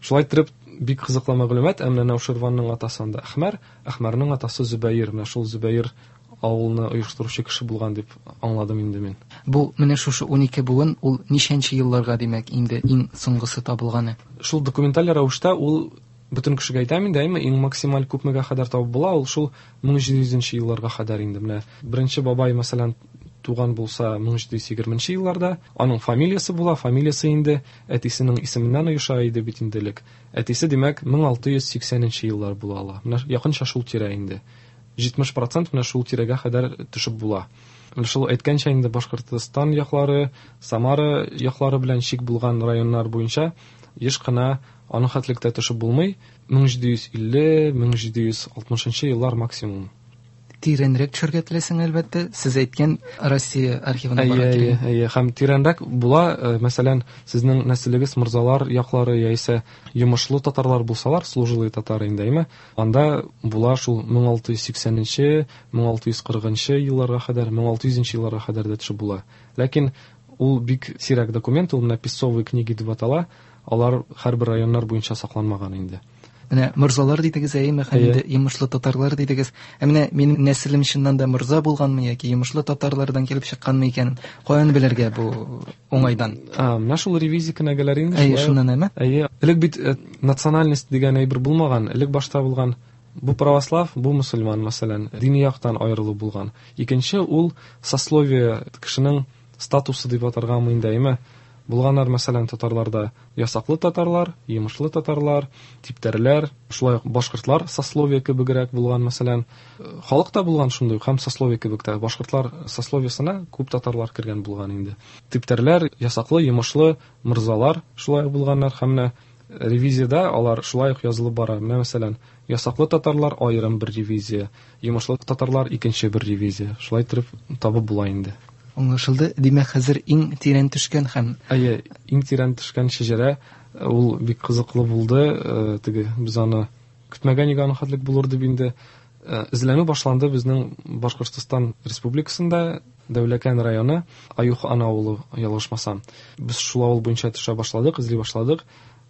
Шулай иттереп, бик кызыклы мәгълүмат, ә менә Науширванның атасы анда Әхмәр, Әхмәрнең атасы Зөбәер, менә шул Зөбәер авылны оештыручы кеше булган дип аңладым инде мин. Бу менә шушы 12 буын ул ничәнче елларга, димәк, инде иң соңгысы табылганы? Шул документаль рәвештә ул бөтен кешегә әйтәм инде, әйме, иң максималь күпмегә кадәр табып була, ул шул 1700 нче елларга кадәр инде. Менә беренче бабай, мәсәлән, туган булса 1720 нче елларда, аның фамилиясе була, фамилиясе инде әтисенең исеменнән оеша иде бит инде элек. Әтисе, димәк, 1680 нче еллар була ала. Менә якынча шул тирә инде. 70 процент менә шул тирәгә кадәр төшеп була. Менә шул әйткәнчә инде Башкортстан яклары, Самара яклары белән чик булган районнар буенча еш кына аның хәтлек тә төшеп булмый. 1750, 1760 еллар максимум. Тирәнрәк төшәргә теләсәң, әлбәттә, сез әйткән Россия архивына барырга кирәк. Әйе, әйе, һәм тирәнрәк була, мәсәлән, сезнең нәселегез морзалар яклары яисә йомышлы татарлар булсалар, служилые татары инде, әйме, анда була шул 1680 нче, 1640 нчы елларга кадәр, 1600 нче елларга кадәр дә төшеп була. Ләкин ул бик сирәк документ, ул менә писцовые книги дип атала, алар һәрбер районнар буенча сакланмаган инде. Менә морзалар дидегез, әйеме, һәм инде йомышлы татарлар дидегез. Ә менә минем нәселем чыннан да морза булганмы яки йомышлы татарлардан килеп чыкканмы икән, каян белергә бу уңайдан? А, менә шул ревизия кенәгәләре инде. Әйе, шуннан әйме? Әйе. Элек бит национальность дигән әйбер булмаган. Элек башта булган бу православ, бу мөселман, мәсәлән, дини яктан аерылу булган. Икенче ул сословие, кешенең статусы дип атаргамы инде, әйме? Булганнар, мәсәлән, татарларда ясаклы татарлар, йомышлы татарлар, типтәрләр, шулай ук башкортлар сословие кебегрәк булган, мәсәлән. Халык та булган шундый ук һәм сословие кебек тә. Башкортлар сословиесына күп татарлар кергән булган инде. Типтәрләр, ясаклы, йомышлы, морзалар шулай ук булганнар һәм менә ревизиядә алар шулай ук язылып бара. Менә, мәсәлән, ясаклы татарлар аерым бер ревизия, йомышлы татарлар икенче бер ревизия. Шулай иттереп табып була инде. Аңлашылды. Димәк, хәзер иң тирән төшкән һәм... Әйе, иң тирән төшкән шәҗәрә, ул бик кызыклы булды. Теге без аны көтмәгән идек, аның хәтлек булыр дип инде. Эзләнү башланды безнең Башкортстан Республикасында, Дәүләкән районы, Аюх-Ана авылы, ялгышмасам. Без шул авыл буенча төшә башладык, эзли башладык.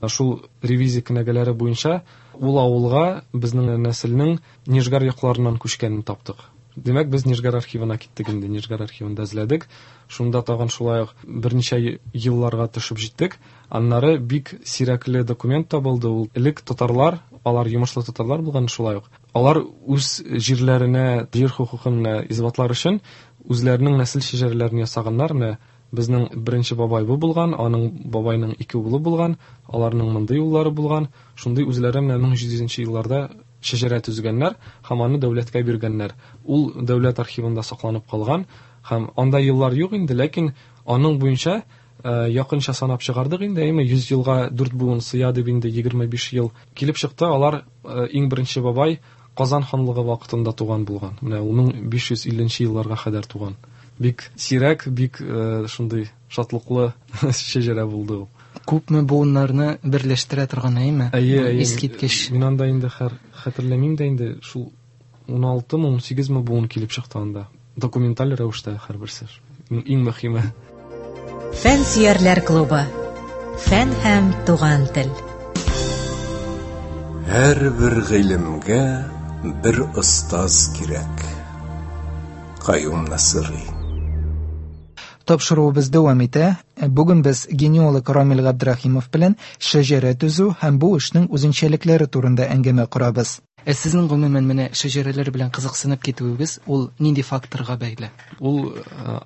Шул ревизия кенәгәләре буенча ул авылга безнең нәселнең Нижгар якларыннан күчкәнен таптык. Димәк, без Нижгар архивына киттек инде, Нижгар архивында эзләдек. Шунда тагын шулай ук берничә елларга төшеп җиттек. Аннары бик сирәкле документ табылды. Ул элек татарлар, алар йомышлы татарлар булган шулай ук. Алар үз җирләренә җир хокукын менә исбатлар өчен үзләренең нәсел шәҗәрәләрен ясаганнар. Менә безнең беренче бабай бу булган, аның бабайның ике улы булган, аларның мондый уллары булган. Шундый үзләре менә 1700 нче елларда шәҗәрә төзегәннәр һәм аны дәүләткә биргәннәр. Ул дәүләт архивында сакланып калган һәм анда еллар юк инде, ләкин аның буенча якынча санап чыгардык инде, әйме, 100 елга 4 буын сыя дип инде 25 ел килеп чыкты. Алар иң беренче бабай Казан ханлыгы вакытында туган булган. Менә ул 1550 нче елларга кадәр туган. Бик сирәк, бик шундый шатлыклы шәҗәрә булды ул. Күпме буыннарны берләштерә торган, әйеме? Әйе, әйе. Искиткеч. Мин анда инде хәр хәтерләмим дә инде, шул уналтымы, унсигезме буын килеп чыкты анда. Документаль рәвештә һәрберсе. Иң мөһиме. Фәнсөярләр клубы. Фән һәм туган тел. Һәрбер гыйлемгә бер остаз кирәк. Каюм Насыйри. Тапшыруыбыз дәвам итә. Бүген без генеалог Рамил Габдрахимов белән шәҗәрә төзү һәм бу эшнең үзенчәлекләре турында әңгәмә корабыз. Ә сезнең гомумән менә шәҗәрәләр белән кызыксынып китүегез ул нинди факторга бәйле? Ул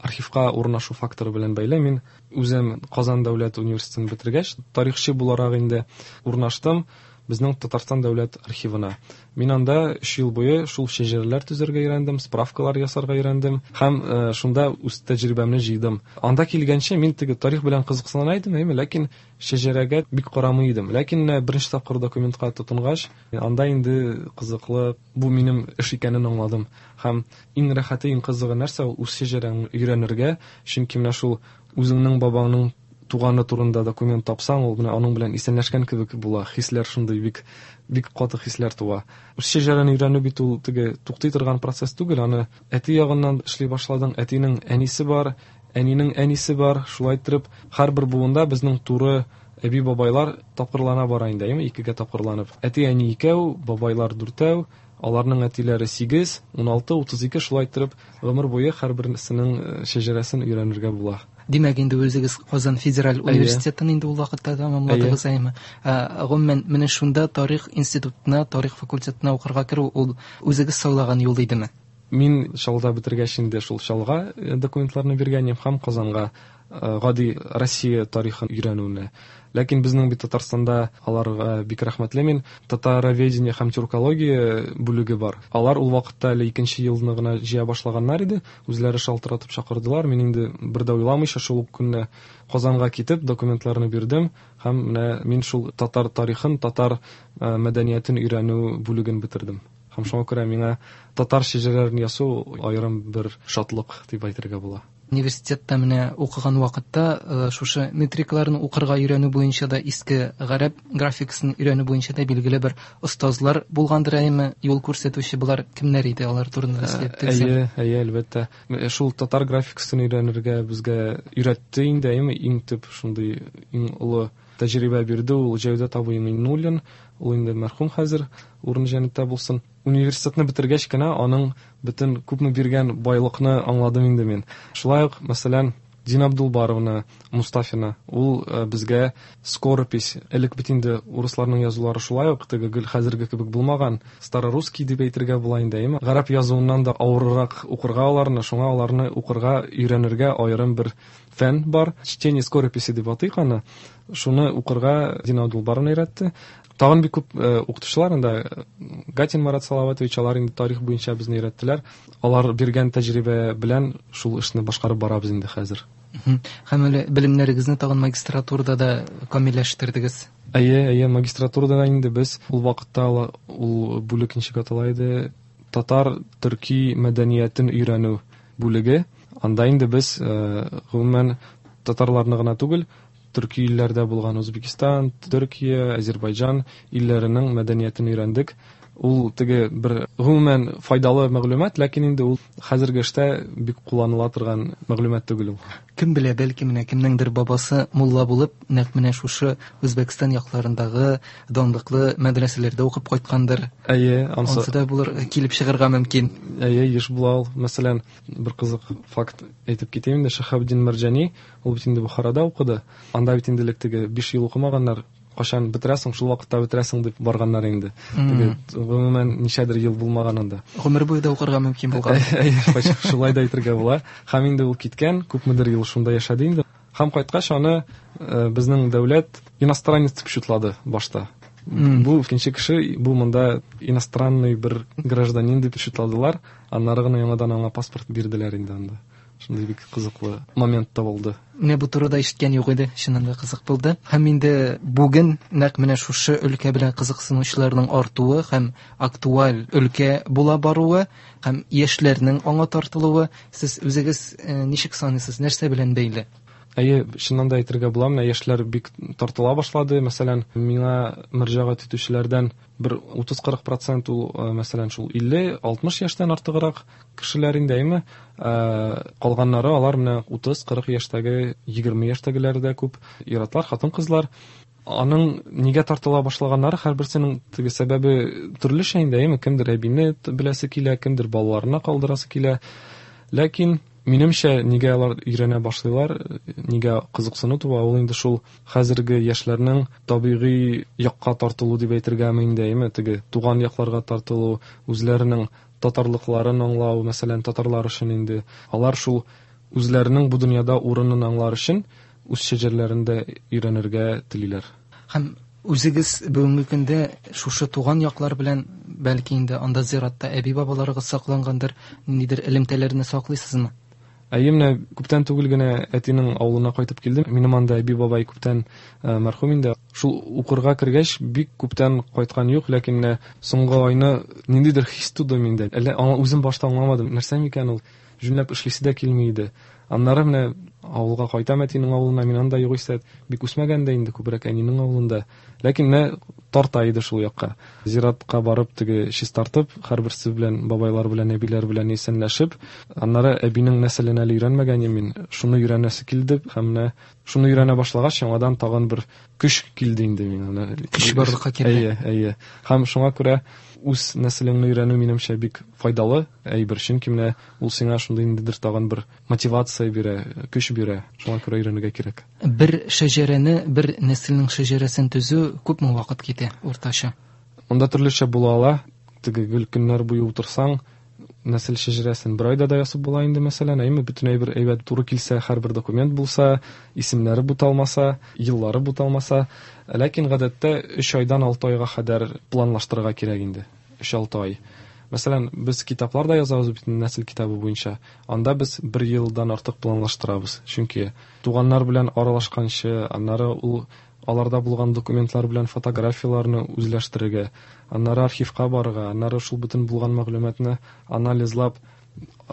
архивка урнашу факторы белән бәйле. Мин үзем Казан дәүләт университетын бетергәч, тарихчы буларак инде урнаштым. Безнең Татарстан дәүләт архивына. Мин анда 3 ел буе шул шәҗәрәләр төзергә өйрәндем, справкалар ясарга өйрәндем һәм шунда үз тәҗрибәмне җыйдым. Анда килгәнче мин теге тарих белән кызыксына идем, әйме, ләкин шәҗәрәгә бик карамый идем. Ләкин менә беренче тапкыр документка тотынгач, анда инде кызыклы, бу минем эш икәнен аңладым. Һәм иң рәхәте, иң кызыгы нәрсә ул үз шәҗәрәңне өйрәнергә, чөнки менә шул үзеңнең бабаңның туганы турында документ тапсаң, ул менә аның белән исәнләшкән кебек була. Хисләр шундый бик бик каты хисләр туа. Үз шәҗәрәне өйрәнү бит ул теге туктый торган процесс түгел, аны әти ягыннан эшли башладың, әтинең әнисе бар, әнинең әнисе бар. Шулай иттереп, һәрбер буында безнең туры әби-бабайлар тапкырлана бара инде, әйеме, икегә тапкырланып. Әти-әни икәү, бабайлар дүртәү, аларның әтиләре 8, 16, 32, шулай иттереп, гомер буе һәрберсенең шәҗәрәсен өйрәнергә була. Димәк, инде үзегез Казан федераль университетын инде ул вакытта тәмамладыгыз, әйеме? Гомумән, менә шунда тарих институтына, тарих факультетына укырга керү ул үзегез сайлаган юл идеме? Мин Чаллыда бетергәч инде шул Чаллыга документларны биргән идем һәм Казанга гади Россия тарихын өйрәнүне. Ләкин безнең бит Татарстанда аларга бик рәхмәтле мин. Татароведение һәм тюркология бүлеге бар. Алар ул вакытта әле икенче елны гына җыя башлаганнар иде. Үзләре шалтыратып чакырдылар. Мин инде бер дә уйламыйча шул ук көнне Казанга китеп документларны бирдем һәм менә мин шул татар тарихын, татар мәдәниятен өйрәнү бүлеген бетердем. Һәм шуңа күрә миңа татар шәҗәрәләрен ясау аерым бер шатлык дип әйтергә була. Университетта менә укыган вакытта шушы метрикаларны укырга өйрәнү буенча да, иске гарәп графикасын өйрәнү буенча да билгеле бер остазлар булгандыр, әйеме, юл күрсәтүче болар кемнәр иде, алар турында сөйләп китсәң. Әйе, әйе, әлбәттә. Шул татар графикасын өйрәнергә безгә өйрәтте инде, әйеме, иң төп шундый иң олы тәҗрибә бирде ул Җәүдәт абый Миңнуллин, ул инде мәрхүм хәзер, урыны җәннәттә булсын. Университетны бетергәч кенә аның бөтен күпме биргән байлыкны аңладым инде мин. Шулай ук, мәсәлән, Дина Абдулбаровна Мустафина, ул безгә скоропись, элек бит инде урысларның язулары шулай ук теге гел хәзерге кебек булмаган, старорусский дип әйтергә була инде, әйеме? Гарәп язуыннан да авыррак укырга аларны, шуңа аларны укырга, өйрәнергә аерым бер фән бар. Чтение скорописи дип атыйк аны. Шуны укырга Дина Абдулбаровна өйрәтте. Тагын бик күп укытучылар анда, Гатин Марат Салаватович, алар инде тарих буенча безне өйрәттеләр. Алар биргән тәҗрибә белән шул эшне башкарып барабыз инде хәзер. Һәм әле белемнәрегезне тагын магистратурада да камилләштердегез. Әйе, әйе, магистратурада да инде без ул вакытта ул бүлек ничек атала иде? Татар төрки мәдәниятен өйрәнү бүлеге. Анда инде без гомумән татарларны гына түгел, төрки илләрдә булган Үзбәкстан, Төркия, Азербайҗан илләренең мәдәниятен өйрәндек. Ул теге бер гомумән файдалы мәгълүмат, ләкин инде ул хәзерге эштә бик кулланыла торган мәгълүмат түгел ул. Кем белә, бәлки менә кемнеңдер бабасы мулла булып, нәкъ менә шушы Үзбәкстан якларындагы данлыклы мәдрәсәләрдә укып кайткандыр. Әйе, ансы Ансы да булыр, килеп чыгарга мөмкин. Әйе, еш була ул. Мәсәлән, бер кызык факт әйтеп китәм инде, Шәһабетдин Мәрҗани, ул бит инде Бухарада укыды. Анда бит инде элек теге 5 ел укымаганнар, кашан бетерәсең, шул вакытта бетерәсең дип барганнар инде. Теге гомумән ничәдер ел булмаган анда. Гомер буе да укырга мөмкин булган. Әйе, шулай да әйтергә була. Һәм инде ул киткән, күпмедер ел шунда яшәде инде. Һәм кайткач аны безнең дәүләт иностранец дип шутлады башта. Бу икенче кеше, бу монда иностранный бер гражданин дип шутладылар. Аннары гына яңадан аңа паспорт бирделәр инде анда. Шундый бик кызыклы момент та булды. Менә бу турыда ишеткән юк иде, чыннан да кызык булды. Һәм инде бүген нәкъ менә шушы өлкә белән кызыксынучыларның артуы һәм актуаль өлкә була баруы һәм яшьләрнең аңа тартылуы, сез үзегез ничек саныйсыз, нәрсә белән бәйле? Әйе, чыннан да әйтергә була, менә яшьләр бик тартыла башлады. Мәсәлән, миңа мөрәҗәгать итүчеләрдән бер 30-40% ул, мәсәлән, шул 50-60 яшьтән артыграк кешеләр инде, әйеме? Калганнары алар менә 30-40 яшьтәге, 20 яшьтәгеләр дә күп, ир-атлар, хатын-кызлар. Аның нигә тартыла башлаганнары һәрберсенең теге сәбәбе төрлечә инде, әйеме? Кемдер әбине беләсе килә, кемдер балаларына калдырасы килә. Ләкин минемчә, нигә алар өйрәнә башлыйлар, нигә кызыксыну туа, ул инде шул хәзерге яшьләрнең табигый якка тартылу дип әйтергәме инде, әйеме? Теге туган якларга тартылу, үзләренең татарлыкларын аңлау, мәсәлән, татарлар өчен инде алар шул үзләренең бу дөньяда урынын аңлар өчен үз шәҗәрләрен дә өйрәнергә телиләр. Һәм Үзегез бүгенге көндә шушы туган яклар белән, бәлки инде анда зиратта әби-бабаларыгыз саклангандыр, ниндидер элемтәләрне саклыйсызмы? Әйе, менә күптән түгел генә әтинең авылына кайтып килдем. Минем анда әби-бабай күптән мәрхүм инде. Шул укырга кергәч, бик күптән кайткан юк, ләкин менә соңгы айны ниндидер хис туды миндә. Әллә үзем башта аңламадым, нәрсә микән ул? Җүнләп эшлисе дә килми иде. Аннары менә авылга кайтам, әтинең авылына, мин анда югыйсә бик үсмәгән дә инде, күбрәк әнинең авылында. Ләкин менә тарта иде шул якка. Зиратка барып, теге чистартып, һәрберсе белән, бабайлар белән, әбиләр белән исәнләшеп, аннары әбинең нәселен әле өйрәнмәгән идем мин, шуны өйрәнәсе килде һәм менә шуны өйрәнә башлагач, яңадан тагын бер көч килде инде миңа. Көч барлыкка килде. Әйе, әйе. Һәм шуңа күрә үз нәселеңне өйрәнү минемчә бик файдалы әйбер, чөнки менә ул сиңа шундый ниндидер тагын бер мотивация бирә, көч бирә. Шуңа күрә өйрәнергә кирәк. Бер шәҗәрәне, бер нәселнең шәҗәрәсен төзү күпме вакыт китә уртача? Монда төрлечә була ала. Теге гел көннәр буе утырсаң, нәсел шәҗәрәсен бер айда да ясап була инде, мәсәлән, әйме, бөтен әйбер әйбәт туры килсә, һәрбер документ булса, исемнәре буталмаса, еллары буталмаса. Ләкин гадәттә 3 айдан 6 айга кадәр планлаштырырга кирәк инде. 3-6 ай. Мәсәлән, без китаплар да язабыз бит нәсел китабы буенча. Анда без бер елдан артык планлаштырабыз. Чөнки туганнар белән аралашканчы, аннары ул аларда булган документлар белән фотографияләрне үзләштерергә, аннары архивка барырга, аннары шул бөтен булган мәгълүматны анализлап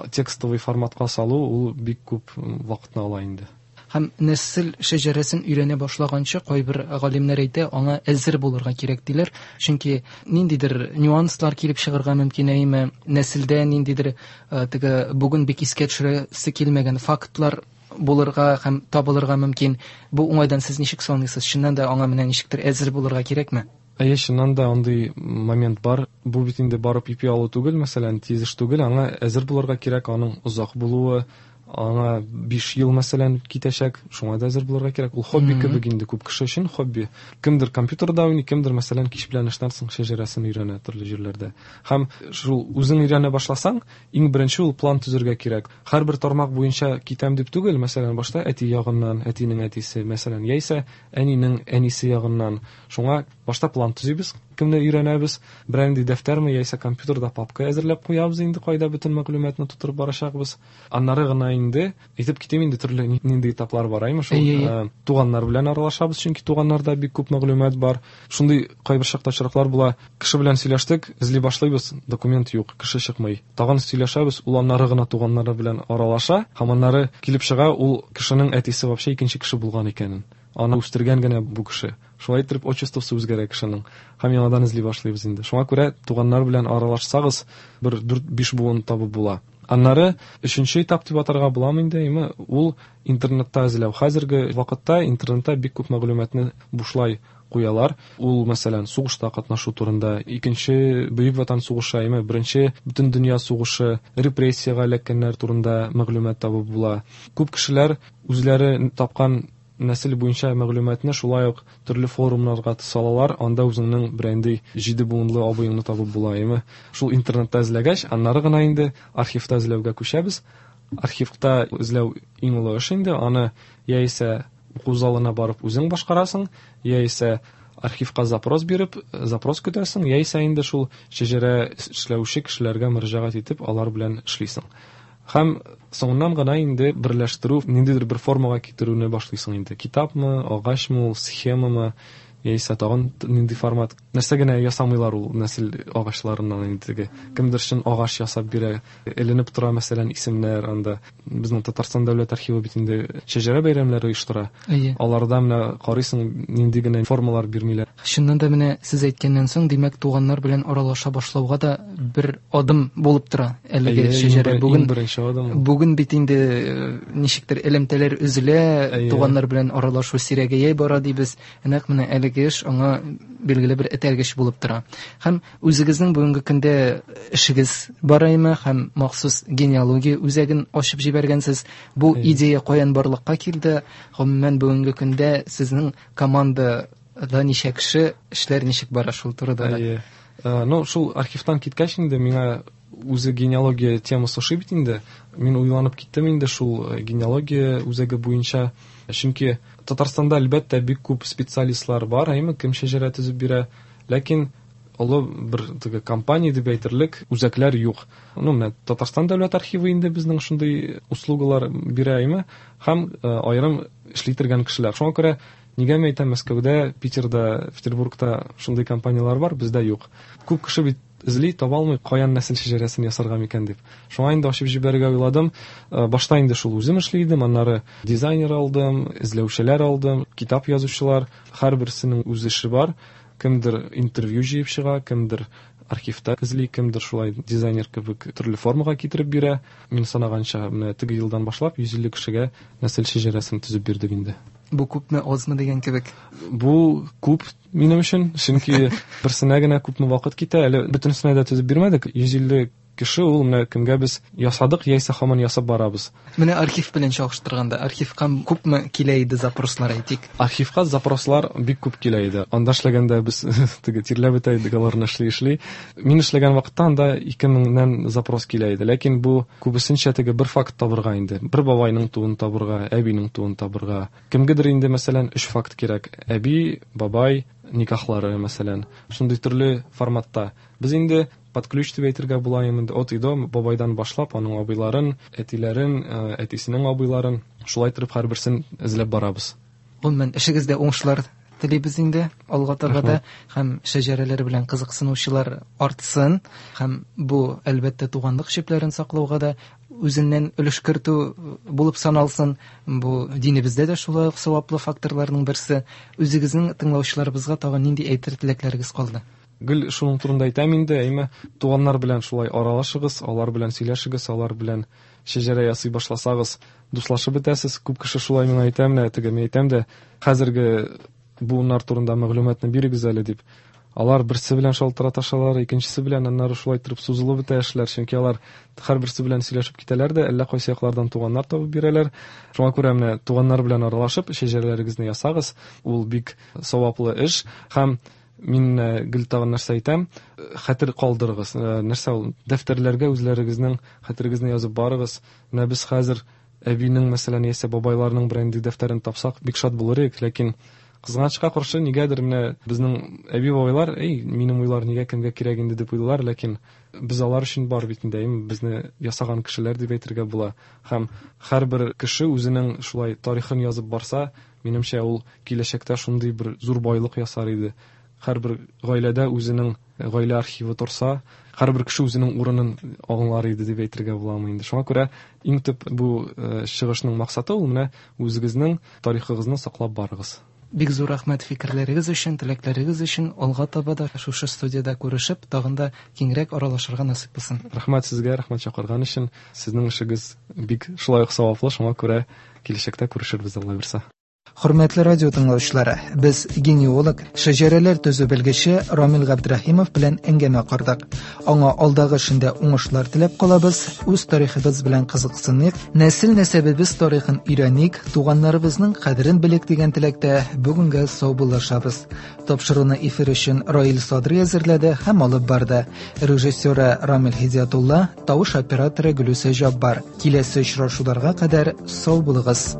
текстовый форматка салу ул бик күп вакытны ала инде. Һәм нәсел шәҗәрәсен өйрәнә башлаганчы кайбер галимнәр әйтә, аңа әзер булырга кирәк диләр. Чөнки ниндидер нюанслар килеп чыгарга мөмкин, әйме, нәселдә ниндидер теге бүген бик искә төшерәсе килмәгән фактлар булырга һәм табылырга мөмкин. Бу уңайдан сез ничек саныйсыз? Чыннан да аңа менә ничектер әзер булырга кирәкме? Әйе, чыннан да андый момент бар. Бу бит инде барып ипи алу түгел, мәсәлән, тиз эш түгел, аңа әзер булырга кирәк, аның озак булуы, аңа 5 ел, мәсәлән, китәчәк, шуңа да әзер булырга кирәк. Ул хобби кебек инде күп кеше өчен хобби. Кемдер компьютерда уйный, кемдер, мәсәлән, кич белән эштән соң шәҗәрәсен өйрәнә төрле җирләрдә. Һәм шул үзең өйрәнә башласаң, иң беренче ул план төзергә кирәк. Һәрбер тармак буенча китәм дип түгел, мәсәлән, башта әти ягыннан, әтинең әтисе, мәсәлән, яисә әнинең әнисе ягыннан. Шуңа башта план төзибез, кемне өйрәнәбез, берәр нинди дәфтәрме яисә компьютерда папка әзерләп куябыз инде, кайда бөтен мәгълүматны тутырып барачакбыз. Аннары гына инде әйтеп китим инде, төрле нинди этаплар бар, әйме, шул туганнар белән аралашабыз, чөнки туганнарда бик күп мәгълүмат бар. Шундый кайбер чакта очраклар була, кеше белән сөйләштек, эзли башлыйбыз, документ юк, кеше чыкмый. Тагын сөйләшәбез, ул аннары гына туганнары белән аралаша, һәм аннары килеп чыга, ул кешенең әтисе вообще икенче кеше булган икәнен. Аны үстергән генә бу кеше. Шулай итеп отчествосы үзгәрә кешенең. Һәм яңадан эзли башлыйбыз инде. Шуңа күрә туганнар белән аралашсагыз, бер 4-5 буын табып була. Аннары өченче этап дип атарга буламы инде, әйме, ул интернетта эзләү. Хәзерге вакытта интернетта бик күп мәгълүматны бушлай куялар. Ул, мәсәлән, сугышта катнашу турында, икенче Бөек Ватан сугышы, әйме, беренче Бөтендөнья сугышы, репрессиягә эләккәннәр турында мәгълүмат табып була. Күп кешеләр үзләре тапкан нәсел буенча мәгълүматны шулай ук төрле форумнарга салалар, анда үзеңнең бренди 7 буынлы абыеңны табып була, әйме. Шул интернетта эзләгәч, аннары гына инде архивта эзләүгә күчәбез. Архивта эзләү иң олы эш инде, аны яисә уку залына барып үзең башкарасың, яисә архивка запрос биреп, запрос көтәсең, яисә инде шул шәҗәрә эшләүче кешеләргә мөрәҗәгать итеп, алар белән эшлисең. Һәм соңыннан гына инде берләштерү, ниндидер бер формага китерүне башлыйсың инде. Китапмы, агачмы ул, схемамы, яисә тагын нинди формат. Нәрсә генә ясамыйлар ул нәсел агачларыннан инде теге. Кемдер чын агач ясап бирә, эленеп тора, мәсәлән, исемнәр анда. Безнең Татарстан дәүләт архивы бит инде шәҗәрә бәйрәмнәре оештыра. Аларда менә карыйсың, нинди генә формалар бирмиләр. Чыннан да менә сез әйткәннән соң, димәк, туганнар белән аралаша башлауга да бер адым булып тора әлеге шәҗәрә. Бүген беренче адым. Бүген бит инде ничектер элемтәләр өзелә, туганнар белән аралашу сирәгәя бара дибез. Нәкъ менә әлеге эш аңа билгеле бер этәргеч булып тора. Һәм үзегезнең бүгенге көндә эшегез бараймы, һәм махсус генеалогия үзәген ачып җибәргәнсез. Бу идея каян барлыкка килде? Гомумән, бүгенге көндә сезнең командада ничә кеше, эшләр ничек бара шул турыда да? Ну, шул архивтан киткәч инде миңа үзе генеалогия темасы ошый бит инде. Мин уйланып киттем инде шул генеалогия үзәге буенча. Чөнки Татарстанда, әлбәттә, бик күп специалистлар бар, әйме, кем шәҗәрә төзеп бирә, ләкин олы бер теге компания дип әйтерлек үзәкләр юк. Ну, менә Татарстан дәүләт архивы инде безнең шундый услугалар бирә, әйме, һәм аерым эшли торган кешеләр. Шуңа күрә нигә мин әйтәм, Мәскәүдә, Питерда, Петербургта шундый компанияләр бар, бездә юк. Күп кеше бит эзли, таба алмый, каян нәсел шәҗәрәсен ясарга микән дип. Шуңа инде ачып җибәрергә уйладым. Башта инде шул үзем эшли идем, аннары дизайнер алдым, эзләүчеләр алдым, китап язучылар, һәрберсенең үз эше бар. Кемдер интервью җыеп чыга, кемдер архивта эзли, кемдер шулай дизайнер кебек төрле формага китереп бирә. Мин санаганча, менә теге елдан башлап 150 кешегә нәсел шәҗәрәсен төзеп бирдек инде. Бу күпме, азмы дигән кебек? Бу күп минем өчен, чөнки берсенә генә күпме вакыт китә, әле бөтенесенә дә төзеп бирмәдек. 150 кеше ул менә кемгә без ясадык яисә һаман ясап барабыз. Менә архив белән чагыштырганда, архивка күпме килә иде запрослар, әйтик? Архивка запрослар бик күп килә иде. Анда эшләгәндә без теге тирләп бетә идек аларны эшли-эшли. Мин эшләгән вакытта анда 2000-нән запрос килә иде. Ләкин бу күбесенчә теге бер факт табырга инде. Бер бабайның туын табырга, әбинең туын табырга. Кемгедер инде, мәсәлән, 3 факт кирәк. Әби, бабай, никахлары, мәсәлән. Шундый төрле форматта. Без инде под ключ дип әйтергә була инде, от и до, бабайдан башлап, аның абыйларын, әтиләрен, әтисенең абыйларын, шулай торып һәрберсен эзләп барабыз. Гомумән, эшегездә уңышлар телибез инде алга таба да, һәм шәҗәрәләр белән кызыксынучылар артсын, һәм бу, әлбәттә, туганлык җепләрен саклауга да үзеннән өлеш кертү булып саналсын. Бу динебездә дә шулай ук саваплы факторларның берсе. Үзегезнең тыңлаучыларыбызга тагын нинди әйтер теләкләрегез калды? Гел шуның турында әйтәм инде, әйме, туганнар белән шулай аралашыгыз, алар белән сөйләшегез, алар белән шәҗәрә ясый башласагыз, дуслашып бетәсез. Күп кеше шулай миңа әйтә, менә теге мин әйтәм дә, хәзерге буыннар турында мәгълүматны бирегез әле дип. Алар берсе белән шалтыраташалар, икенчесе белән, аннары шулай торып сузылып бетә эшләр, чөнки алар һәрберсе белән сөйләшеп китәләр дә, әллә кайсы яклардан туганнар табып бирәләр. Шуңа күрә менә туганнар белән аралашып, шәҗәрәләрегезне ясагыз, ул бик саваплы эш. Һәм мин гел тагын нәрсә әйтәм, хәтер калдырыгыз. Нәрсә ул? Дәфтәрләргә үзләрегезнең хәтерегезне язып барыгыз. Менә без хәзер әбинең, мәсәлән, яисә бабайларның берәр дәфтәрен тапсак, бик шат булыр идек, ләкин кызганычка каршы нигәдер менә безнең әби-бабайлар, эй, минем уйлар нигә кемгә кирәк инде дип уйлыйлар, ләкин без алар өчен бар бит инде, әйме, безне ясаган кешеләр дип әйтергә була. Һәм һәрбер кеше үзенең шулай тарихын язып барса, минемчә, ул киләчәктә шундый бер зур байлык ясар иде. Һәрбер гаиләдә үзенең гаилә архивы торса, һәрбер кеше үзенең урынын аңлар иде дип әйтергә буламы инде. Шуңа күрә иң төп бу чыгышның максаты ул менә үзегезнең тарихыгызны саклап барыгыз. Бик зур рәхмәт фикерләрегез өчен, теләкләрегез өчен. Алга таба да шушы студиядә күрешеп, тагын да киңрәк аралашырга насыйп булсын. Рәхмәт сезгә, рәхмәт чакырган өчен. Сезнең эшегез бик шулай ук саваплы, шуңа күрә киләчәктә күрешербез, Алла бирсә. Хөрмәтле радио тыңлаучылары, без генеалог, шәҗәрәләр төзү белгече Рамил Габдрахимов белән әңгәмә кордык. Аңа алдагы эшендә уңышлар теләп калабыз, үз тарихыбыз белән кызыксыныйк, нәсел нәсәбебез тарихын өйрәник, туганнарыбызның кадерен белик дигән теләктә бүгенгә саубуллашабыз. Тапшыруны эфир өчен Раил Садри әзерләде һәм алып барды. Режиссеры Рамил Һидиятулла, тавыш операторы Гөлүсә Җаббар. Киләсе очрашуларга кадәр сау булыгыз.